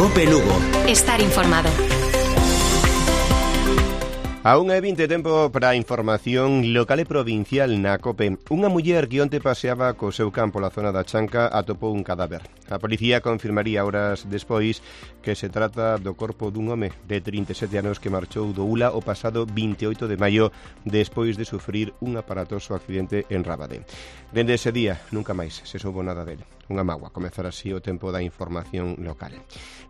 COPE Lugo. Estar informado. A 1:20 tempo para a información local e provincial na COPE. Unha muller que onte paseaba co seu can pola zona da Chanca atopou un cadáver. A policía confirmaría horas despois que se trata do corpo dun home de 37 anos que marchou do Ula o pasado 28 de maio despois de sufrir un aparatoso accidente en Rábade. Dende ese día nunca máis se soubo nada dele. Unha mágoa comezar así o tempo da información local.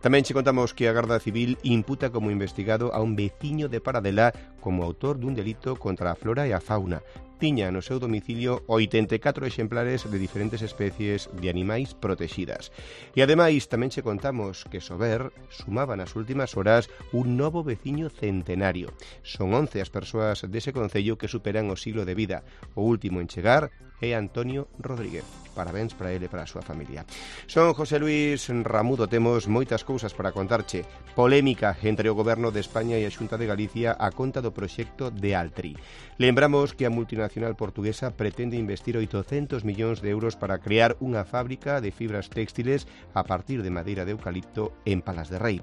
Tamén che contamos que a Garda Civil imputa como investigado a un veciño de Paradela como autor dun delito contra a flora e a fauna. Tiña no seu domicilio 84 exemplares de diferentes especies de animais protegidas. E ademais tamén che contamos que Sober sumaba nas últimas horas un novo veciño centenario. Son 11 as persoas dese concello que superan o siglo de vida. O último en chegar é Antonio Rodríguez. Parabéns para ele e para a súa familia. Son José Luis Ramudo, temos moitas cousas para contarche. Polémica entre o Goberno de España e a Xunta de Galicia a conta do proxecto de Altri. Lembramos que a multinacional portuguesa pretende investir 800 millóns de euros para crear unha fábrica de fibras textiles a partir de madeira de eucalipto en Palas de Rei.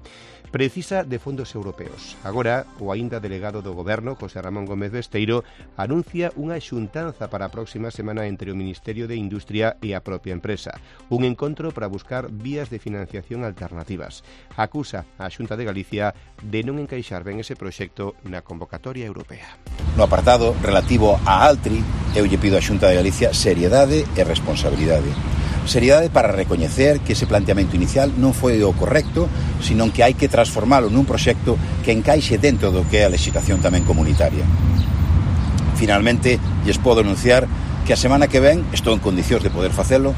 Precisa de fondos europeos. Agora, o aínda delegado do Goberno, José Ramón Gómez Besteiro, anuncia unha xuntanza para a próxima semana entre o Ministerio de Industria e a propia empresa. Un encontro para buscar vías de financiación alternativas. Acusa a Xunta de Galicia de non encaixar ben ese proxecto na convocatoria europea. No apartado relativo a Altri, eu lle pido á Xunta de Galicia seriedade e responsabilidade. Seriedade para recoñecer que ese planteamento inicial non foi o correcto, senón que hai que transformalo nun proxecto que encaixe dentro do que é a legislación tamén comunitaria. Finalmente, lles podo anunciar que a semana que ven, estou en condicións de poder facelo,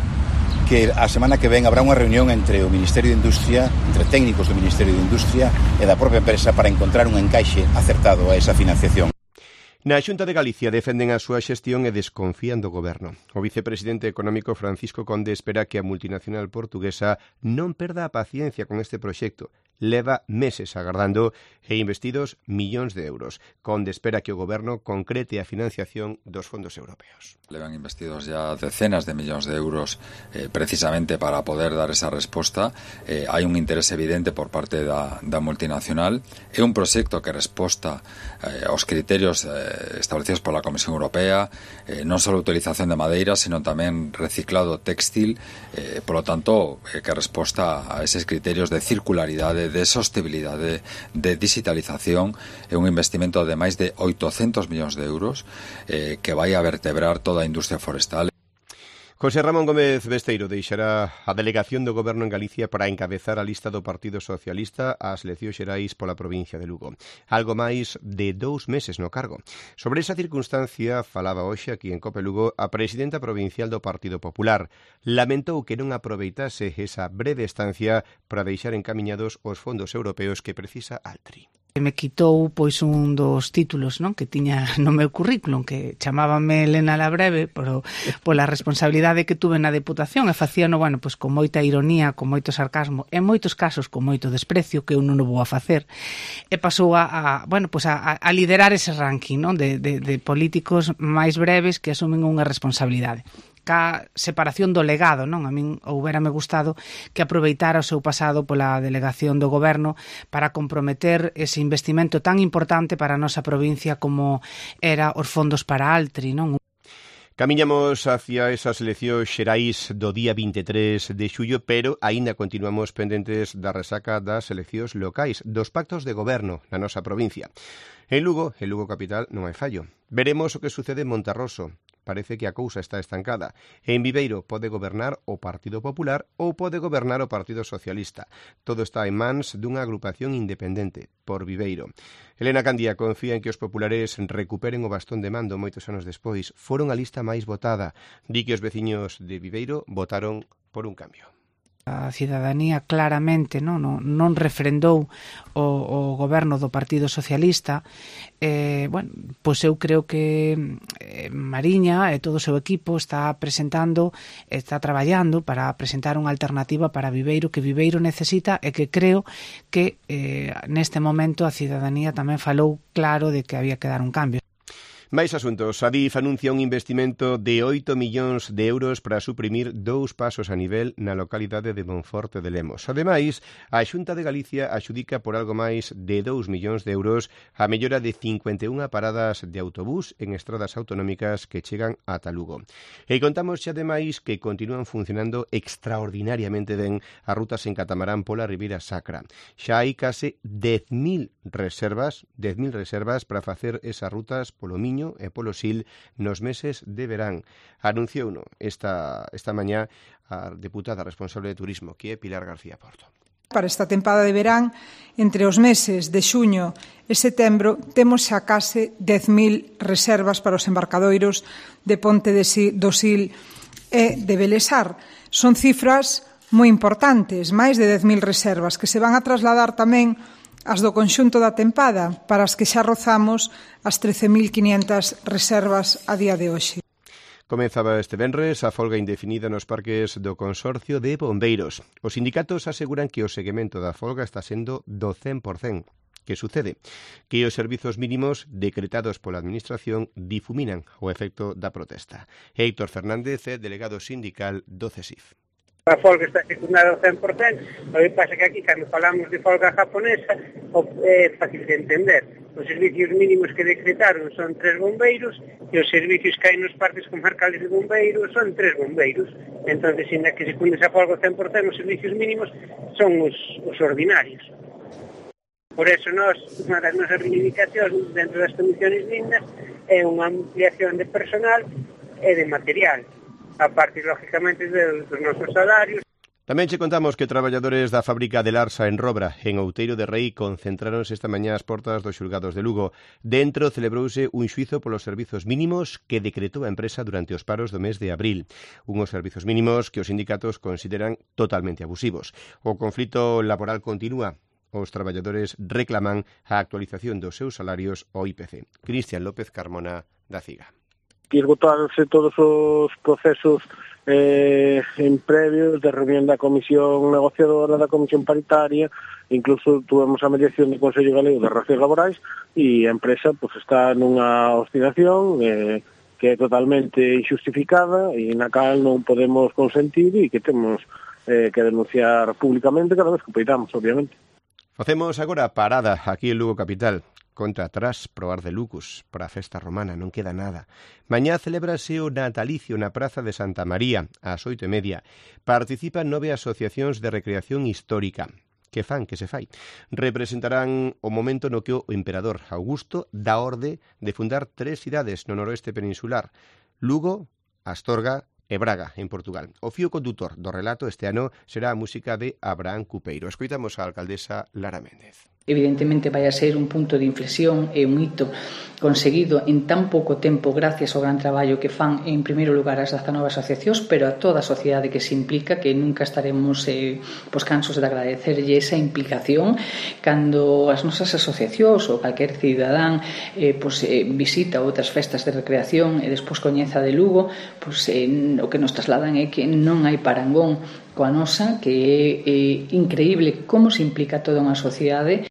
que a semana que ven habrá unha reunión entre o Ministerio de Industria, entre técnicos do Ministerio de Industria e da propia empresa para encontrar un encaixe acertado a esa financiación. Na Xunta de Galicia defenden a súa xestión e desconfían do Goberno. O vicepresidente económico Francisco Conde espera que a multinacional portuguesa non perda a paciencia con este proxecto. Leva meses agardando e investidos millóns de euros. Conde espera que o Goberno concrete a financiación dos fondos europeos. Levan investidos ya decenas de millóns de euros precisamente para poder dar esa resposta. Hai un interés evidente por parte da multinacional. É un proxecto que resposta aos criterios establecidos pola Comisión Europea, non só a utilización de madeira, sino tamén reciclado textil, polo tanto, que resposta a eses criterios de circularidade, de sostenibilidade, de digitalización. É un investimento de máis de 800 millóns de euros que vai a vertebrar toda a industria forestal. José Ramón Gómez Besteiro deixará a delegación do Goberno en Galicia para encabezar a lista do Partido Socialista ás eleccións xerais pola provincia de Lugo. Algo máis de 2 meses no cargo. Sobre esa circunstancia falaba hoxe aquí en COPE Lugo a presidenta provincial do Partido Popular. Lamentou que non aproveitase esa breve estancia para deixar encamiñados os fondos europeos que precisa Altri. Me quitou pois un dos títulos, non, que tiña no meu currículum, que chamábame Elena la Breve, pero pola responsabilidade que tuve na Deputación e facíano, bueno, pois con moita ironía, con moito sarcasmo, en moitos casos con moito desprecio, que eu non o vou a facer, e pasou a liderar ese ranking, non, de políticos máis breves que asumen unha responsabilidade. Ca separación do legado, non? A min houbérame gustado que aproveitara o seu pasado pola delegación do Goberno para comprometer ese investimento tan importante para a nosa provincia como era os fondos para Altri, non? Camiñamos hacia esas eleccións xerais do día 23 de xullo, pero aínda continuamos pendentes da resaca das eleccións locais, dos pactos de goberno na nosa provincia. En Lugo capital, non hai fallo. Veremos o que sucede en Monterroso. Parece que a cousa está estancada. En Viveiro pode gobernar o Partido Popular ou pode gobernar o Partido Socialista. Todo está en mans dunha agrupación independente, por Viveiro. Elena Candía confía en que os populares recuperen o bastón de mando moitos anos despois. Foron a lista máis votada. Di que os veciños de Viveiro votaron por un cambio. A cidadanía claramente non refrendou o goberno do Partido Socialista. Pois eu creo que Mariña e todo o seu equipo está traballando para presentar unha alternativa para Viveiro, que Viveiro necesita, e que creo que neste momento a cidadanía tamén falou claro de que había que dar un cambio. Máis asuntos. Adif anuncia un investimento de 8 millóns de euros para suprimir 2 pasos a nivel na localidade de Monforte de Lemos. Ademais, a Xunta de Galicia axudica por algo máis de 2 millóns de euros a mellora de 51 paradas de autobús en estradas autonómicas que chegan ata Lugo. E contamos xa ademais que continúan funcionando extraordinariamente ben as rutas en catamarán pola Ribeira Sacra. Xa hai case 10.000 reservas para facer esas rutas polo Miño e polo Sil nos meses de verán. Anunciouno esta mañá a deputada responsable de turismo, que é Pilar García Porto. Para esta tempada de verán, entre os meses de xuño e setembro, temos xa case 10.000 reservas para os embarcadoiros de Ponte do Sil e de Belesar. Son cifras moi importantes, máis de 10.000 reservas, que se van a trasladar tamén as do conxunto da tempada, para as que xa rozamos as 13.500 reservas a día de hoxe. Comezaba este venres a folga indefinida nos parques do Consorcio de Bombeiros. Os sindicatos aseguran que o seguimento da folga está sendo do 100%. Que sucede? Que os servizos mínimos decretados pola Administración difuminan o efecto da protesta. Héctor Fernández é delegado sindical do CESIF. A folga está secundada ao 100%, o que pasa que aquí, cando falamos de folga japonesa, é fácil de entender. Os servicios mínimos que decretaron son 3 bombeiros e os servicios que hai nos parques comarcales de bombeiros son 3 bombeiros. Entón, sin que se secunde esa folga ao 100%, os servicios mínimos son os ordinarios. Por eso, unha das nosas reivindicacións dentro das condiciones dignas é unha ampliación de personal e de material, a partir, lógicamente, dos nosos salarios. Tamén che contamos que traballadores da fábrica de Larsa en Robra, en Outeiro de Rei, concentráronse esta mañá ás portas dos xulgados de Lugo. Dentro celebrouse un xuizo polos servizos mínimos que decretou a empresa durante os paros do mes de abril. Unhos servizos mínimos que os sindicatos consideran totalmente abusivos. O conflito laboral continúa. Os traballadores reclaman a actualización dos seus salarios ao IPC. Cristian López Carmona, da CIGA. Esgotarse todos os procesos en previos de reunión da comisión negociadora, da comisión paritaria, incluso tuvemos a mediación do Consello Galego de Relacións Laborais e a empresa está nunha obstinación que é totalmente injustificada e na cal non podemos consentir e que temos que denunciar públicamente cada vez que poidamos, obviamente. Facemos agora parada aquí en Lugo Capital. Conta atrás probar de Lucus para a festa romana, non queda nada. Mañá celébrase o natalicio na Praza de Santa María, ás 8:30. Participan 9 asociacións de recreación histórica. Que se fai. Representarán o momento no que o emperador Augusto dá orde de fundar 3 cidades no noroeste peninsular: Lugo, Astorga e Braga, en Portugal. O fío condutor do relato este ano será a música de Abraham Cupeiro. Escoitamos a alcaldesa Lara Méndez. Evidentemente vai a ser un punto de inflexión e un hito conseguido en tan pouco tempo gracias ao gran traballo que fan en primeiro lugar as 19 asociacións, pero a toda a sociedade que se implica, que nunca estaremos cansos de agradecerlle esa implicación cando as nosas asociacións ou calquer cidadán visita outras festas de recreación e despois coñeza de Lugo, o que nos trasladan é que non hai parangón coa nosa, que é increíble como se implica toda unha sociedade.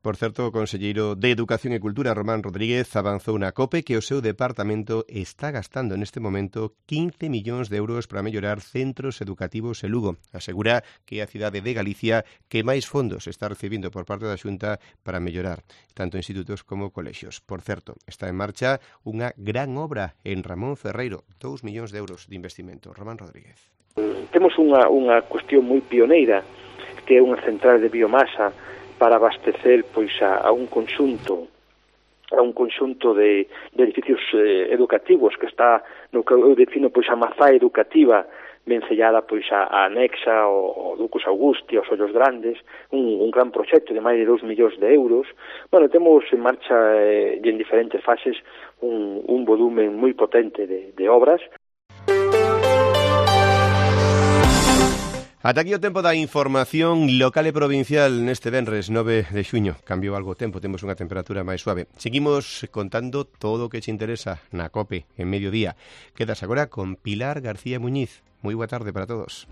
Por certo, o conselleiro de Educación e Cultura, Román Rodríguez, avanzou na COPE que o seu departamento está gastando neste momento 15 millóns de euros para mellorar centros educativos en Lugo. Asegura que é a cidade de Galicia que máis fondos está recibindo por parte da Xunta para mellorar tanto institutos como colexios. Por certo, está en marcha unha gran obra en Ramón Ferreiro, 2 millóns de euros de investimento. Román Rodríguez. Temos unha cuestión moi pioneira, que é unha central de biomasa para abastecer a un conxunto de edificios educativos que está no que eu defino a mazá educativa vencellada a Anexa, o Lucus Augusti, os Ollos Grandes, un gran proxecto de máis de 2 millóns de euros. Bueno, temos en marcha e en diferentes fases un volumen moi potente de obras. Ata aquí o tempo da información local e provincial neste venres 9 de xuño. Cambiou algo o tempo, temos unha temperatura máis suave. Seguimos contando todo o que te interesa na COPE en mediodía. Quedas agora con Pilar García Muñiz. Moi boa tarde para todos.